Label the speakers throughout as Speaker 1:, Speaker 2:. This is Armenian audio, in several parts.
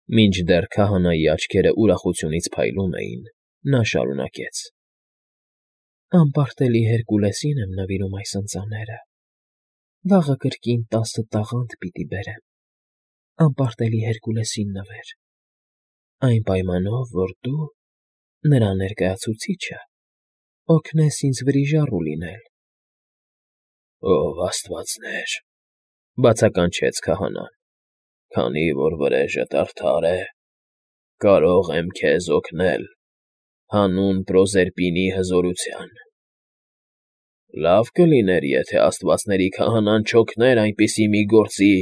Speaker 1: Մինչդեռ քահանայի աչքերը ուրախությունից փայլում էին, նա շարունակեց.
Speaker 2: Անպարտելի Հերկուլեսին եմ նվիրում այս ընծաները, վաղը կրկին 10 տաղանդ պիտի բերեմ, անպարտելի Հերկուլեսին նվեր, այն պայմանով, որ դու, նրա ներկայացուցիչը, օգնես ինձ վրիժառու լինել։
Speaker 1: Ով աստվածներ, բացականչեց քահանան, քանի որ վրեժդ արդար է, կարող եմ քեզ օգնել հանուն Պրոզերպինի հզորության։ Լավ կլիներ, եթե աստվածների քահանան չօգներ այնպիսի մի գործի,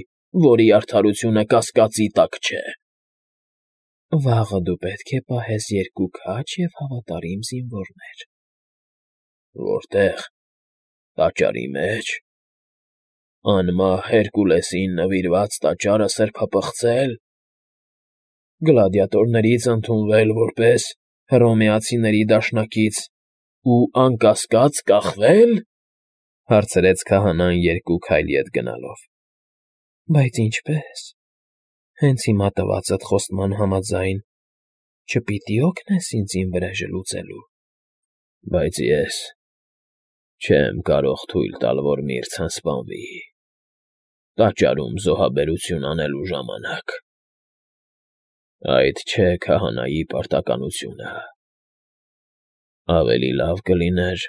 Speaker 1: որի արդարությունը կասկածի տակ չէ։
Speaker 2: Վաղը դու պետք է պահես 2 քաջ և հավատարիմ զինվորներ։
Speaker 1: Որտե՞ղ, տաճարի մեջ։ Անմահ Հերկուլեսին նվիրված տաճարը սրբապղծե՞լ։ Գլադիատորներից ընդունվել որպես հռոմեացիների դաշնակից ու անկասկած կախվե՞լ, հարցրեց քահանան 2 քայլ ետ գնալով։
Speaker 2: Բայց ինչպե՞ս։ Հենց հիմա տվածդ խոստման համաձայն չպիտի օգնես ինձ իմ վրեժը լուծելու։
Speaker 1: Բայց ես չեմ կարող թույլ տալ, որ Միրցան սպանվի։ Տաճարում զոհաբերություն անելու ժամանակ։ Այդ չէ քահանայի պարտականությունը։ Ավելի լավ կլիներ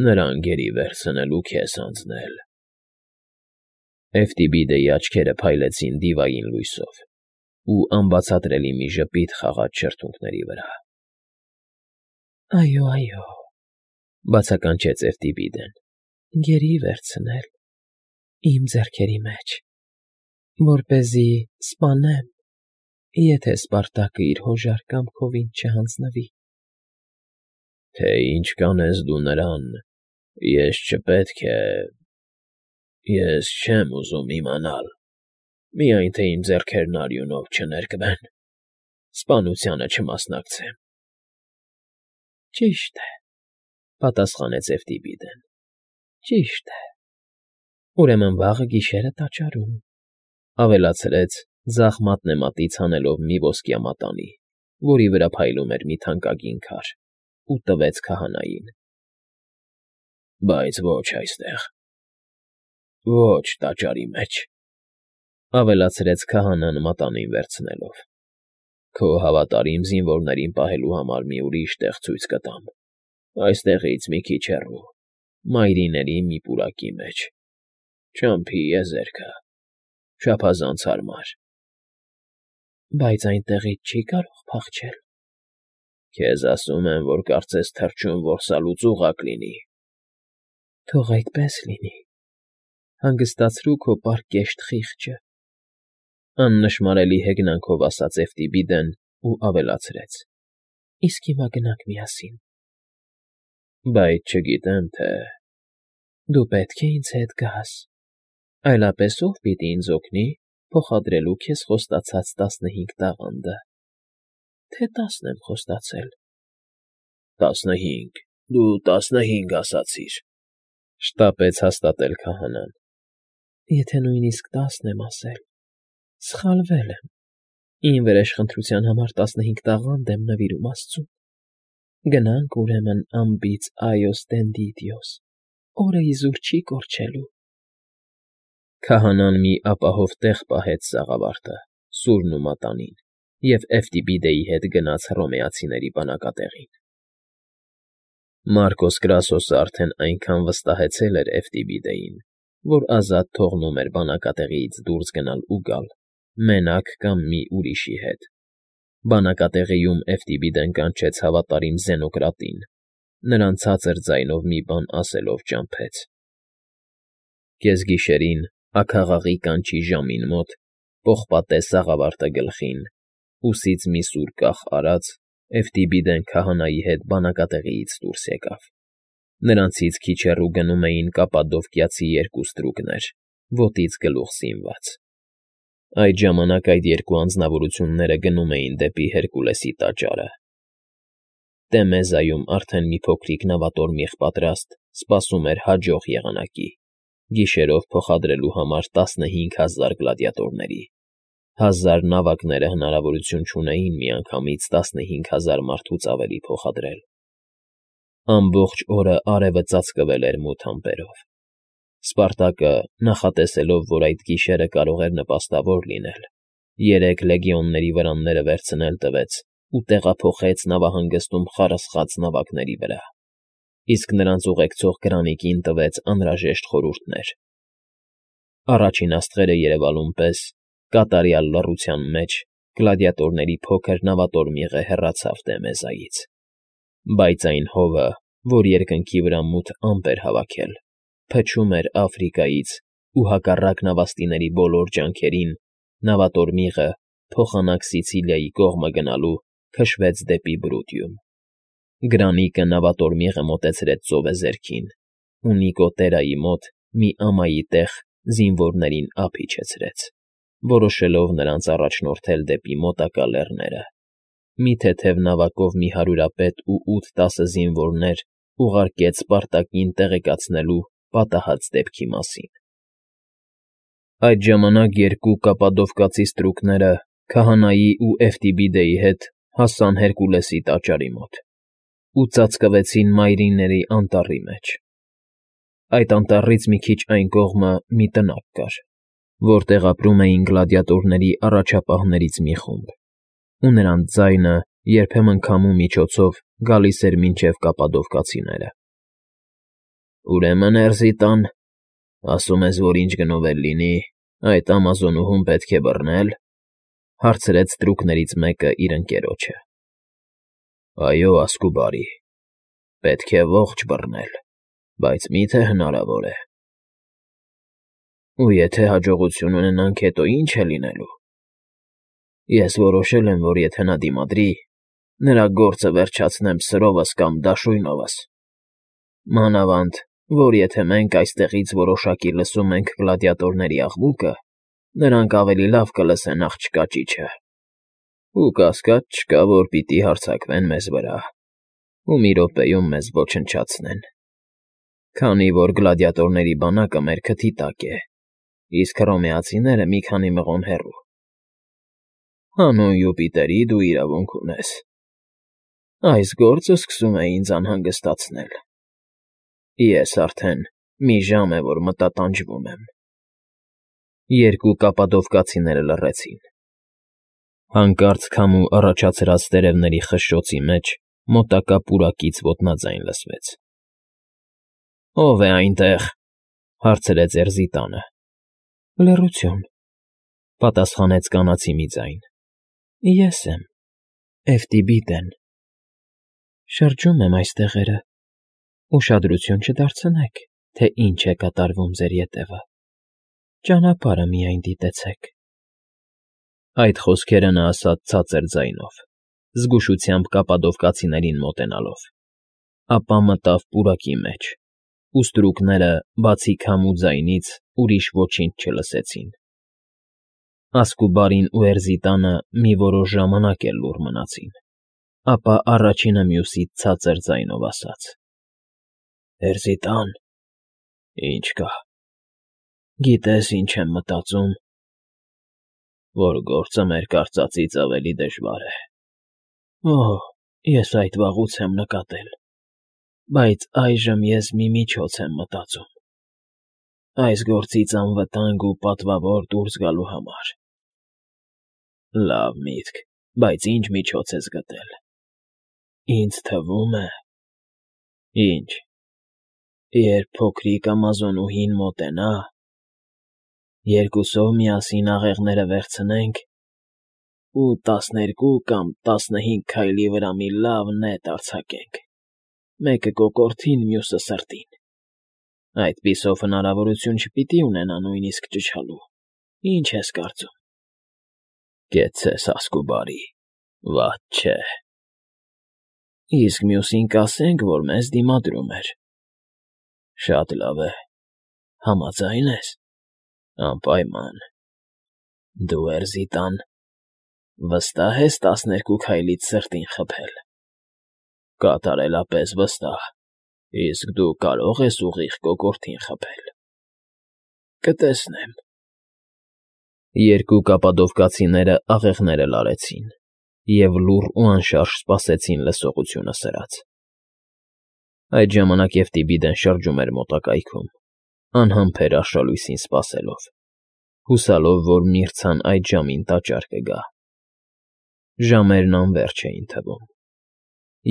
Speaker 1: նրան գերի վերցնել ու քեզ հանձնել։ Էֆտիբիդեի աչքերը փայլեցին դիվային լույսով, ու անբացատրելի մի ժպիտ խաղաց շրթունքների վրա։
Speaker 2: Այո,
Speaker 1: բացականչեց Էֆտիբիդեն,
Speaker 2: գերի վերցնել, իմ ձեռքերի մեջ, որպեսզի սպանեմ, եթե Սպարտակը իր հոժար կամքով ինձ չհանձնվի։
Speaker 1: Թե ինչ կանես դու նրան, ես չպետք է… Ես չեմ ուզում իմանալ, միայն թե իմ ձեռքերն արյունով չներկվեն, սպանությանը չմասնակցեմ։
Speaker 2: Ճիշտ է,
Speaker 1: պատասխանեց Էֆտիբիդեն,
Speaker 2: ճիշտ է։ Ուրեմն վաղը գիշերը տաճարում,
Speaker 1: ավելացրեց ձախ մատնեմատից հանելով մի ոսկյա մատանի, որի վրա փայլում էր մի թանկագին քար, ու տվեց քահանային։ Բայց ոչ այստեղ, ոչ տաճարի մեջ, ավելացրեց քահանան մատանին վերցնելով։ Քո հավատարիմ զինվորներին պահելու համար մի ուրիշ տեղ ցույց կտամ, այստեղից մի քիչ հեռու, մայրիների մի պուրակի մեջ, չամփի եզերքը, չափազանց հարմար։
Speaker 2: Բայց այնտեղից չի կարող փախչել։
Speaker 1: Քեզ ասում եմ, որ կարծես թռչուն որսալուց ուղղակ լինի։
Speaker 2: Թող այդպես լինի։ Հանգստացրու քո պարկեշտ խիղճը,
Speaker 1: աննշմարելի հեգնանքով ասաց Էֆտիբիդեն ու ավելացրեց.
Speaker 2: Իսկ հիմա գնանք միասին։
Speaker 1: Բայց չգիտեմ, թե…
Speaker 2: Դու պետք է ինձ հետ գաս, այլապես ով պիտի ինձ օգնի փոխադրելու քեզ խոստացած 15 տաղանդը, թե 10 եմ խոստացել։
Speaker 1: 15, դու 15 ասացիր, շտապեց հաստատել քահանան։
Speaker 2: Եթե նույնիսկ 10 եմ ասել, սխալվել եմ, իմ վրեժխնդրության համար 15 տաղանդ եմ նվիրում աստծուն։ Գնանք ուրեմն անբիծ Այոս Դենդիդիոս, օրը իզուր չի կորչելու։
Speaker 1: Քահանան մի ապահով տեղ պահեց սաղավարտը, սուրն ու մատանին, և Էֆտիբիդեի հետ գնաց հռոմեացիների բանակատեղին։ Մարկոս Կրասոսը արդեն այնքան վստահեցել էր Էֆտիբիդեին, որ ազատ թողնում էր բանակատեղիից դուրս գնալ ու գալ, մենակ կամ մի ուրիշի հետ։ Բանակատեղիում Էֆտիբիդեն կանչեց հավատարիմ Զենոկրատին, նրան ցածր ձայնով մի բան ասելով ճամփեց։ Կեսգիշերին, աքաղաղի կանչի ժամին մոտ, պողպատե սաղավարտը գլխին, ուսից մի սուր կախ արած, Էֆտիբիդեն քահանայի հետ բանակատեղիից դուրս եկավ։ Նրանցից քիչ հեռու գնում էին կապադովկիացի 2 ստրուկներ, ոտից գլուխ զինված։ Այդ ժամանակ այդ 2 անձնավորությունները գնում էին դեպի Հերկուլեսի տաճարը։ Տեմեզայում արդեն մի փոքրիկ նավատորմիղ պատրաստ սպասում էր հաջող եղանակի, գիշերով փոխադրելու համար 15,000 գլադիատորների, 1000 նավակները հնարավորություն չունեին միանգամից 15,000 մարդուց ավելի փոխադրել։ Ամբողջ օրը արևը ծածկվել էր մութ ամպերով։ Սպարտակը, նախատեսելով, որ այդ գիշերը կարող էր նպաստավոր լինել, 3 լեգիոնների վրանները վերցնել տվեց ու տեղափոխեց նավահանգստում խարսխած նավակների վրա, իսկ նրանց ուղեկցող Գրանիկին տվեց անհրաժեշտ խորհուրդներ։ Առաջին աստղերը երևալուն պես, կատարյալ լռության մեջ, գլադիատորների փոքր նավատորմիղը հեռացավ Տեմեզայից, բայց այն հովը, որ երկնքի վրա մութ ամպ էր հավաքել, փչում էր Աֆրիկայից ու հակառակ նավաստիների բոլոր ջանքերին, նավատորմիղը, փոխանակ Սիցիլիայի կողմը գնալու, քշվեց դեպի Բրուտիում։ Գրանիկը նավատորմիղը մոտեցրեց ծովեզերքին, ու Նիկոտերայի մոտ մի ամայի տեղ զինվորներին ափ իջեցրեց, որոշելով նրանց առաջնորդել դեպի մոտակա լեռները։ Մի թեթև նավակով մի հարյուրապետ ու 8-10 զինվորներ ուղարկեց Սպարտակին տեղեկացնելու պատահած դեպքի մասին։ Այդ ժամանակ 2 կապադովկացի ստրուկները քահանայի ու Էվտիբիդեի հետ հասան Հերկուլեսի տաճարի մոտ ու ծածկվեցին Մայրինների անտառի մեջ։ Այդ անտառից մի քիչ այն կողմը մի տնակ կար, որտեղ ապրում էին գլադիատորների առաջապահներից մի խումբ, ու նրանց ձայնը երբեմն քամու միջոցով գալիս էր մինչև կապադովկացիները։ «Ուրեմն, Էրզիտան, ասում ես, որ ինչ գնով էլ լինի, այդ ամազոնուհուն պետք է բռնել,֊ հարցրեց ստրուկներից մեկը իր ընկերոջը։ «Այո, ասկու բարի, պետք է ողջ բռնել, բայց մի՞թե հնարավոր է»։ «Ու եթե հաջողություն ունենանք, հետո ի՞նչ է լինելու»։ «Ես որոշել եմ, որ եթե նա դիմադրի, նրա գործը վերջացնեմ սրովս կամ դաշույնովս։ Մանավանդ, որ եթե մենք այստեղից որոշակի լսում ենք գլադիատորների աղմուկը, նրանք ավելի լավ կլսեն աղջկա ճիչը, ու կասկած չկա, որ պիտի հարձակվեն մեզ վրա ու մի րոպեում մեզ ոչնչացնեն, քանի որ գլադիատորների բանակը մեր քթի տակ է, իսկ հռոմեացիները մի քանի մղոն հեռու։ Հանուն Յուպիտերի, դու իրավունք ունես։ Այս գործը սկսում է ինձ անհանգստացնել։ Ես արդեն մի ժամ է, որ մտատանջվում եմ»։ 2 կապադովկացիները լռեցին։ Հանկարծ քամու առաջացրած տերևների խշշոցի մեջ մոտակա պուրակից ոտնաձայն լսվեց։ «Ո՞վ է այնտեղ,֊ հարցրեց Էրզիտանը։ «Լռություն,֊ պատասխանեց կանացի մի ձայն։ Ես եմ, Էվտիբիդեն։ Շրջում եմ այս տեղերը, ուշադրություն չդարձնեք, թե ինչ է կատարվում ձեր ետևը, ճանապարհը միայն դիտեցեք»։ Այդ խոսքերը նա ասաց ցածր ձայնով, զգուշությամբ կապադովկացիներին մոտենալով, ապա մտավ պուրակի մեջ, ու ստրուկները, բացի քամու ձայնից, ուրիշ ոչինչ չլսեցին։ Ասկուբարին ու Էրզիտանը մի որոշ ժամանակ էլ լուռ մնացին, ապա առաջինը մյուսից ցածր ձայնով ասաց. «Էրզիտան, ի՞նչ կա։ Գիտես, ինչ եմ մտածում, որ գործը մեր կարծածից ավելի դժվար է։ Օհ, ես այդ վաղուց եմ նկատել, բայց այժմ ես մի միջոց եմ մտածում այս գործից անվտանգ ու պատվավոր դուրս գալու համար։ Լավ միտք, բայց ի՞նչ միջոց ես գտել։ Ինձ թվում է… Ի՞նչ։ Երբ փոքրիկ ամազոնուհին մոտենա, երկուսով միասին աղեղները վերցնենք ու 12 կամ 15 քայլի վրա մի լավ նետ արձակենք, մեկը կոկորդին, մյուսը սրտին, այդպիսով հնարավորություն չպիտի ունենա նույնիսկ ճչալու, ինչ ես կարծում։ Կեցցես, ասկուբարի, վատ չէ։ Իսկ մյուսին կասենք, որ մեզ դիմադրում էր։ Շատ լավ է, համաձայն ես։ Անպայման։ Դու, Էրզիտան, վստահ ես 12 քայլից սրտին խփել։ Կատարելապես վստահ, իսկ դու կարող ես ուղիղ կոկորդին խփել։ Կտեսնեմ։ Երկու կապադովկացիները աղեղները լարեցին և լուռ ու անշարժ սպասեցին լսողությունը սրած։ Այդ ժամանակ Եվտիբիդեն շրջում էր մոտակայքում, անհամբեր արշալույսին սպասելով, հուսալով, որ միրցան այդ ժամին տաճար կգա։ Ժամերն անվերջ էին թվում։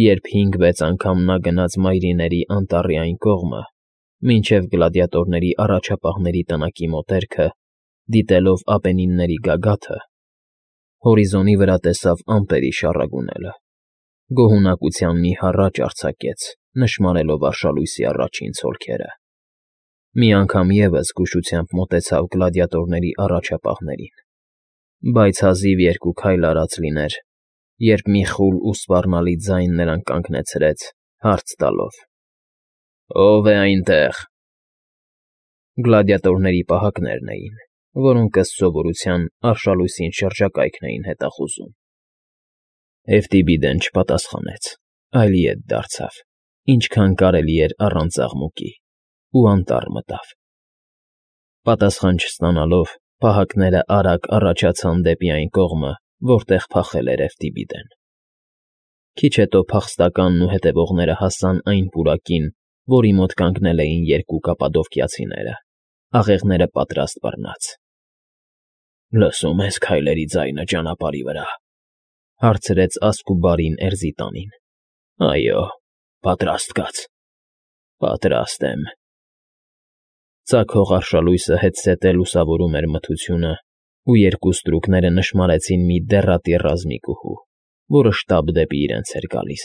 Speaker 1: Երբ 5-6 անգամ նա գնաց մայրիների անտառի այն կողմը, մինչև գլադիատորների առաջապահների տնակի մոտերքը, դիտելով ապենինների գագաթը, հորիզոնի վրա տեսավ ամպերի շառագունելը, գոհունակության մի հառաչ արձակեց, նշմարելով արշալույսի առաջին ցոլքերը։ Մի անգամ ևս զգուշությամբ մոտեցավ գլադիատորների առաջապահներին, բայց հազիվ 2 քայլ արած լիներ, երբ մի խուլ ու սպառնալի ձայն նրան կանգնեցրեց, հարց տալով. «Ո՞վ է այնտեղ»։ Գլադիատորների պահակներն էին, որոնք ըստ սովորության արշալույսին շրջակայքն էին հետախուզում։ Եվտիբիդեն չպատասխանեց, այլ ետ դարձավ, ինչքան կարելի էր առանց աղմուկի, ու անտառ մտավ։ Պատասխան չստանալով, պահակները արագ առաջացան դեպի այն կողմը, որտեղ փախել էր Եվտիբիդեն։ Քիչ հետո փախստականն ու հետևողները հասան այն պուրակին, որի մոտ կանգնել էին 2 կապադովկիացիները, աղեղները պատրաստ բռնած։ «Լսում ես քայլերի ձայնը ճանապարհի վրա», հարցրեց Ասկուբարին Էրզիտանին։ «Այո, պատրաստ կաց»։ «Պատրաստ եմ»։ Ծագող արշալույսը հետզհետե լուսավորում էր մթությունը, ու 2 ստրուկները նշմարեցին մի դեռատի ռազմիկուհու, որը շտապ դեպի իրենց էր գալիս։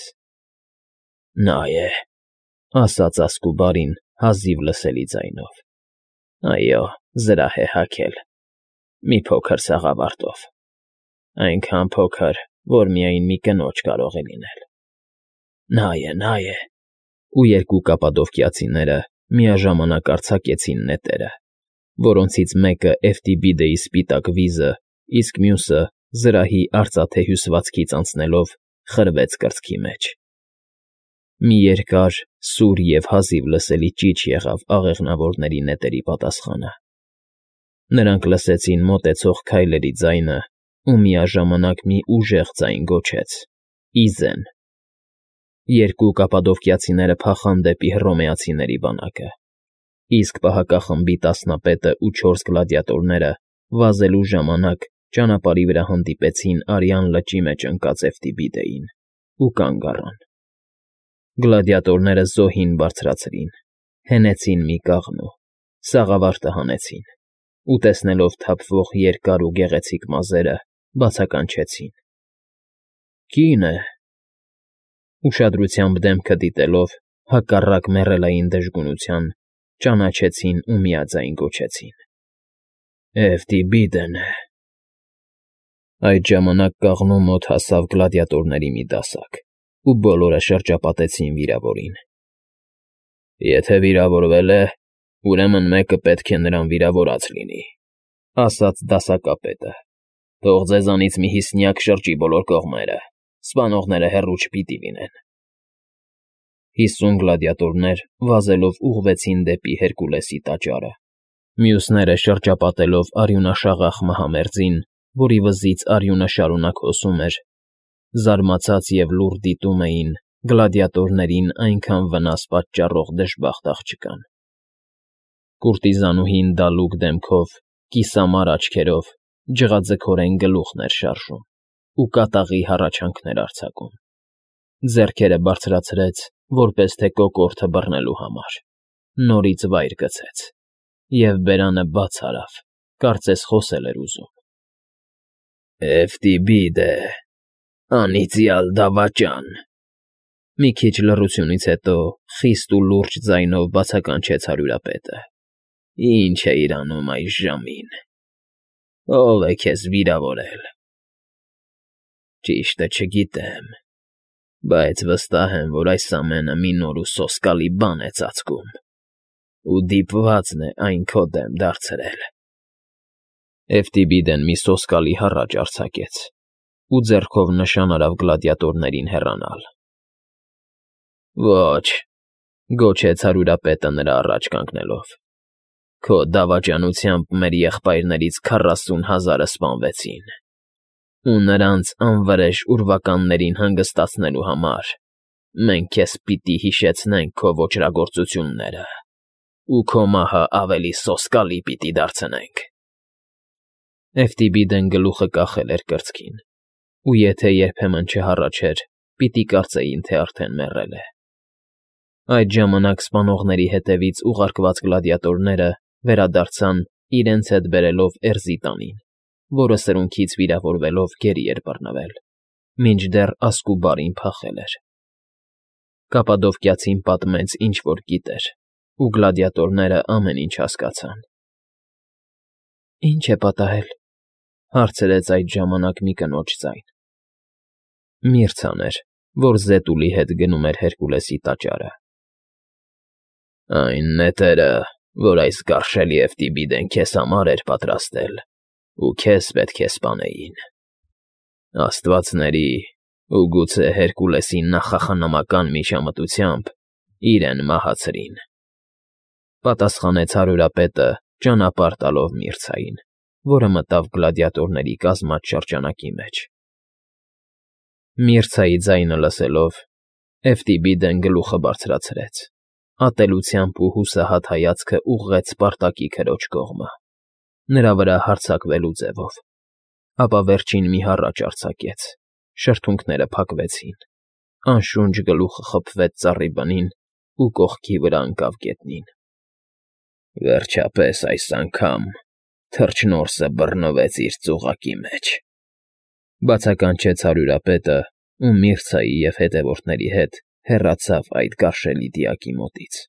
Speaker 1: «Նա է», ասաց Ասկուբարին հազիվ լսելի ձայնով։ «Այո, զրահ է հագել, մի փոքր սաղավարտով, այնքան փոքր, որ միայն մի կնոջ կարող է լինել»։ Նա է, ու 2 կապադովկիացիները միաժամանակ արձակեցին նետերը, որոնցից մեկը Եվտիբիդեի սպիտակ վիզը, իսկ մյուսը, զրահի արծաթե հյուսվածքից անցնելով, խրվեց կրծքի մեջ։ Մի երկար, սուր և հազիվ լսելի ճիչ եղավ աղեղնավորների նետերի պատասխանը։ Նրանք լսեցին մոտեցող քայլերի ձայնը, ու միաժամանակ մի ուժեղ ձայն գոչեց. «Իզեն»։ 2 կապադովկիացիները փախան դեպի հռոմեացիների բանակը, իսկ պահակախմբի տասնապետը ու 4 գլադիատորները վազելու ժամանակ ճանապարհի վրա հանդիպեցին Արյան լճի մեջ ընկած Եվտիբիդեին ու կանգ առան։ Գլադիատորները զոհին բարձրացրին, հենեցին մի կաղնու, սաղավարտը հանեցին ու, տեսնելով թափվող երկար ու գեղեցիկ մազերը, բացականչեցին. «Կին է»։ Ուշադրությամբ դեմքը դիտելով, հակառակ մեռելային դժգունության, ճանաչեցին ու միաձայն գոչեցին. «Եվտիբիդեն է»։ Այդ ժամանակ կաղնու մոտ հասավ գլադիատորների մի դասակ, ու բոլորը շրջապատեցին վիրավորին։ «Եթե վիրավորվել է, ուրեմն մեկը պետք է նրան վիրավորած լինի», ասաց դասակապետը։ «Թող ձեզանից մի 50 շրջի բոլոր կողմերը, սպանողները հեռու չպիտի լինեն»։ 50 գլադիատորներ վազելով ուղղվեցին դեպի Հերկուլեսի տաճարը, մյուսները շրջապատելով արյունաշաղախ մահամերձին, որի վզից արյունը շարունակ հոսում էր, զարմացած և լուռ դիտում էին գլադիատորներին այնքան վնաս պատճառող դժբախտ աղջկան։ Կուրտիզանուհին դալուկ դեմքով, կիսամար աչքերով, ջղաձգորեն գլուխն էր շարժում ու կատաղի հառաչանքներ արձակում։ Ձեռքերը բարձրացրեց, որպես թե կոկորդը բռնելու համար, նորից վայր գցեց և բերանը բաց արավ, կարծես խոսել էր ուզում։ «Եվտիբիդե, անիծյալ դավաճան»։ Մի քիչ լռությունից հետո խիստ ու լուրջ ձայնով բացականչեց հարյուրապետը։ «Ինչ էիր անում այս ժամին։ Ո՞վ է քեզ վիրավորել»։ «Ճիշտը չգիտեմ, բայց վստահ եմ, որ այս ամենը մի նոր ու սոսկալի բան է ծածկում, ու դիպվածն է այն քո դեմ դարձրել»։ Եվտիբիդեն մի սոսկալի հառաչ արձակեց ու ձեռքով նշան արավ գլադիատորներին հեռանալ։ «Ոչ», գոչեց հարյուրապետը նրա առաջ կանգնելով։ Քո դավաճանությամբ մեր եղբայրներից 40,000-ը սպանվեցին, ու նրանց անվրեժ ուրվականներին հանգստացնելու համար մենք քեզ պիտի հիշեցնենք քո ոճրագործությունները ու քո մահը ավելի սոսկալի պիտի դարձնենք։ Էֆտիբիդեն գլուխը կախել էր կրծքին, ու եթե երբեմն չհառաչեր, պիտի կարծեին, թե արդեն մեռել է։ Այդ ժամանակ սպանողների հետևից ուղարկված գլադիատորները վերադարձան իրենց հետ բերելով Էրզի տանին, որը սրունքից վիրավորվելով գերի էր բռնվել, մինչդեռ ասկուբարին փախել էր։ Կապադովկիացին պատմեց, ինչ որ գիտեր, ու գլադիատորները ամեն ինչ հասկացան։
Speaker 2: Ինչ է պատահել,
Speaker 1: հարցրեց այդ ժամանակ մի կնոջ ձայն։ Միրցան էր, որ Զետուլի հետ գնում էր Հերկուլեսի տաճարը։ Այն նետերը, որ այս գարշելի Էֆտիբիդեն քեզ համար էր պատրաստել, ու քեզ պետք է սպանեին։ Աստվածների ու գուցե Հերկուլեսի նախախնամական միջամտությամբ իրեն մահացրին, պատասխանեց հարյուրապետը ճանապարհ տալով Միրցային, որը մտավ գլադիատորների կազմած շրջանակի մեջ։ Միրցայի ձայնը լսելով, Էֆտիբիդեն գլուխը բարձրացրեց, ատելությամբ ու հուսահատ հայացքը ուղղեց Սպարտակի քրոջ կողմը, նրա վրա հարձակվելու ձևով, ապա վերջին մի հառաչ արձակեց, շրթունքները փակվեցին, անշունչ գլուխը խփվեց ծառի բնին ու կողքի վրա ընկավ գետնին։ Վերջապես այս անգամ թռչնորսը բռնվեց իր ծուղակի մեջ, բացականչեց հարյուրապետը ու Միրցայի և հետևորդների հետ հեռացավ այդ գարշելի դիակի մոտից։